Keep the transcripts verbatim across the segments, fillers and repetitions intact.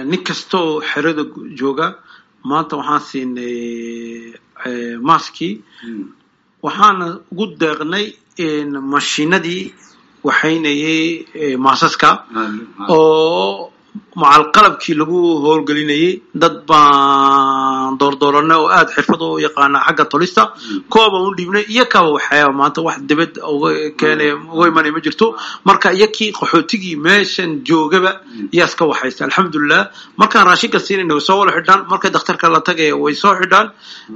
Nin kastoo xerada jooga maanta waxaan siinay maskii, waxaana ugu deeqnay mashiinadii waxaynayay maasaska oo macal qalabkii lagu howlgelinayay. Dad baan doordooranay oo aada xirfad u yaqaana xagga tolista, kuwa baan u dhiibnay, iyo kaba waxyaaba maanta wax dibad uga keenay uga imanaya ma jirto. Marka iyakii qaxootigii meeshan joogaba yaa iska waxaysta, alxamdulilah. Markaan raashinka siinayna way soo wada xidhaan, markay dakhtarka la tagaya way soo xidhaan.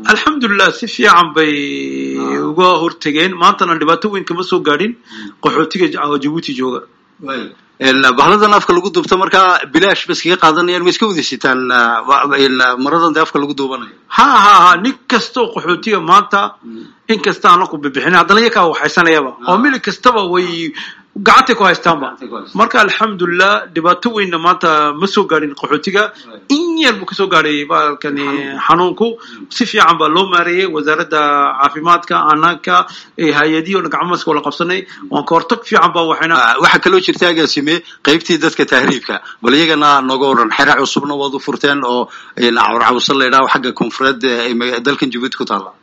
Alxamdulilah, si fiican bay uga hortegeen. Maantana dhibaato weyn kama soo gaadhin qaxootiga Jabuuti jooga. Bahladan afka lagu duubto markaa bilaash ba iskaga qaadanayaan, way iska wada sitaan maradan dee afka lagu duubanayo? Ha ha ha, nin kastoo qaxootiga maanta in kasta aan ku bixin, haddana iyakaa waxaysanayaba oo mili kastaba way gacantay ku haystaanba. Marka alxamdulilah, dhibaato weynna maanta ma soo gaadhin qaxootiga. In yar buu kasoo gaadhay baalkani xanuunku, si fiican baa loo maareeyey. Wasaaradda caafimaadka, anaka, hay-adihii o dhan gacmaska wala qabsanay, waan ka hortag fiican baa waxayna. Waxaa kaloo jirta, agaasime, qaybtii dadka tahriibka. Bal iyagana nooga waran. Xera cusubna waad u furteen oo Cawrcawsa la idhaho, xagga koonfureed dalkan Jabuuti ku taalla.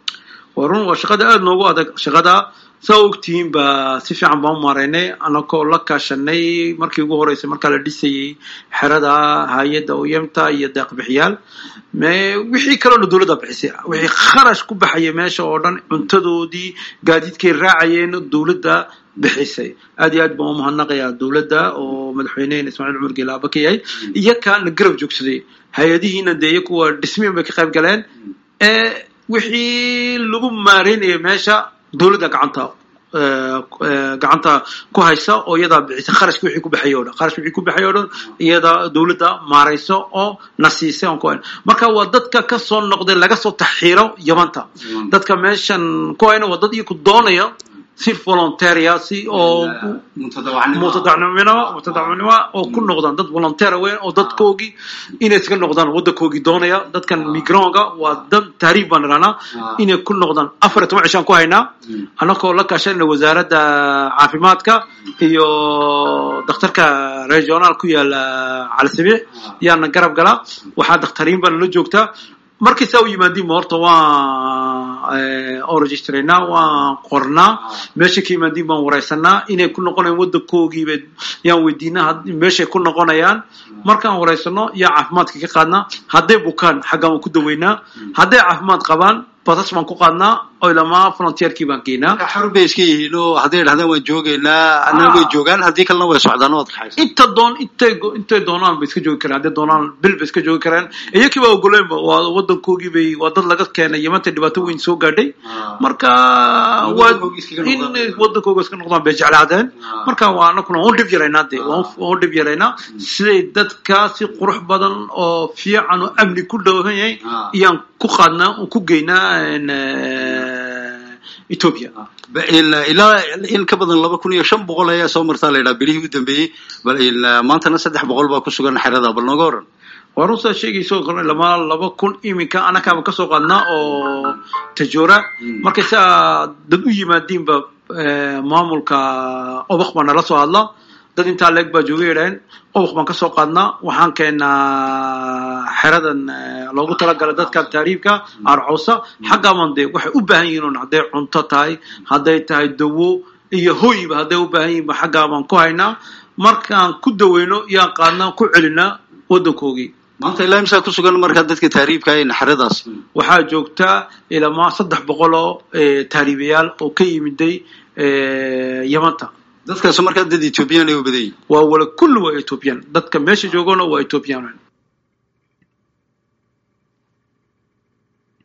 Waa run, waa shaqada aada noogu adag. Shaqada saa ogtihiin ba si fiican baan u maareynay, anakoo la kaashanay markii ugu horeysay markaa la dhisayey xerada hay-adda oyemta iyo deeqbixiyaal. Wixii kaloona dowladda bixisay, wixii kharash ku baxaya meesha oo dhan, cuntadoodii, gaadiidkay raacayeen, dowladda bixisay. Aad iyo aad baan umahadnaqayaa dowladda oo madaxweynehen Ismaaciil Cumar Geele aaba ka yahay, iyakaana garab joogsaday. Hay-adihiina dee iyo kuwa dhismiin bay ka qayb galeen. Wixii lagu maareynaya meesha dowladda gacanta gacanta ku haysa oo iyadaa bixisa kharashka wixii ku baxay o dhan, kharashka wixii ku baxay o dhan iyadaa dowladda maarayso oo na siisay oon ku hayn. Marka waa dadka ka soo noqday, laga soo taxiiro Yamanta. Dadka meeshan ku hayna waa dad iyaku doonaya si volunteer ah, si oo mutadacnimo mutadacnimo oo ku noqdaan, dad volunteer weyn oo dadkoogii inay iska noqdaan waddankoogii doonaya. Dadkan migrant-ga waa dad tahriib baan idhahnaa, inay ku noqdaan. Afar iyo toban cishaan ku haynaa, anakoo la kaashanayna wasaaradda caafimaadka iyo dakhtarka regional ku yaala Calisabiix yaana garab galaa. Waxaa dakhtariin baa nala joogtaa. Markii saa u yimaadiinba horta waan registraynaa, waan qornaa. Meeshay ka yimaadiin baan wareysanaa, inay ku noqonayaan waddankoogiiba yaan weydiinaa meeshay ku noqonayaan. Markaan wareysano yaa caafimaadka ka qaadnaa. Hadday bukaan xaggaan waan ku daweynaa, hadday caafimaad qabaan basas baan ku qaadnaa oo ilamaa frontierkii baan geynaa. Xor bay iska yihiin oo hadday idhahdaan waan joogaynaa annana way joogaan, haddii kalena way socdaan, waad kaxaysa. Inta doon intay intay doonaan bay iska joogi karaan, hadday doonaan bil bay iska joogi karaan. Iyakii baa ogoleynba, waa waddankoogii bay, waa dad laga keenay Yamanta, dhibaato weyn soo gaadhay. Marka waa in waddankooga iska noqdaan bay jeclaadeen. Marka waa anakuna waan u dhib yaraynaa dee, waan u dhib yaraynaa siday dadka si qurux badan oo fiican oo amni ku dhowhan yahay iyaan ku qaadnaa oo ku geynaa Ethiopia. Ilaa in ka badan laba kun iyo shan boqol ayaa soo martaa la yidhaha bilihii u dambeeyey, bal maantana saddex boqol baa ku sugan xerada. Bal nooga waran. Waa runtaa sheegayso, lama laba kun iminka anakaaba kasoo qaadnaa oo Tajoora. Markay saa dad u yimaadiinba maamulka Obok baa nala soo hadla, dad intaa leeg baa jooga yidhaheen. Obok baan kasoo qaadnaa, waxaan keenaa xeradan loogu talagalay dadka tahriibka Arcoosa. Xaggaaban dee waxay u baahan yihiin un, hadday cunto tahay, hadday tahay dawo iyo hoyba hadday u baahan yihiin ba xaggaa baan ku haynaa. Markaan ku daweyno yaan qaadnaa, ku celinaa waddankoogii. Maanta ilaa imsaa ku sugan markaa dadka tahriibka ee xeradaas? Waxaa joogtaa ilamaa saddex boqol oo tahriibayaal oo ka yimiday Yamanta. Dadkaas markaa dad Ethiopian ay u badan yihin? Waa wala kulli waa Ethiopian. Dadka meesha joogona waa Ethiopian.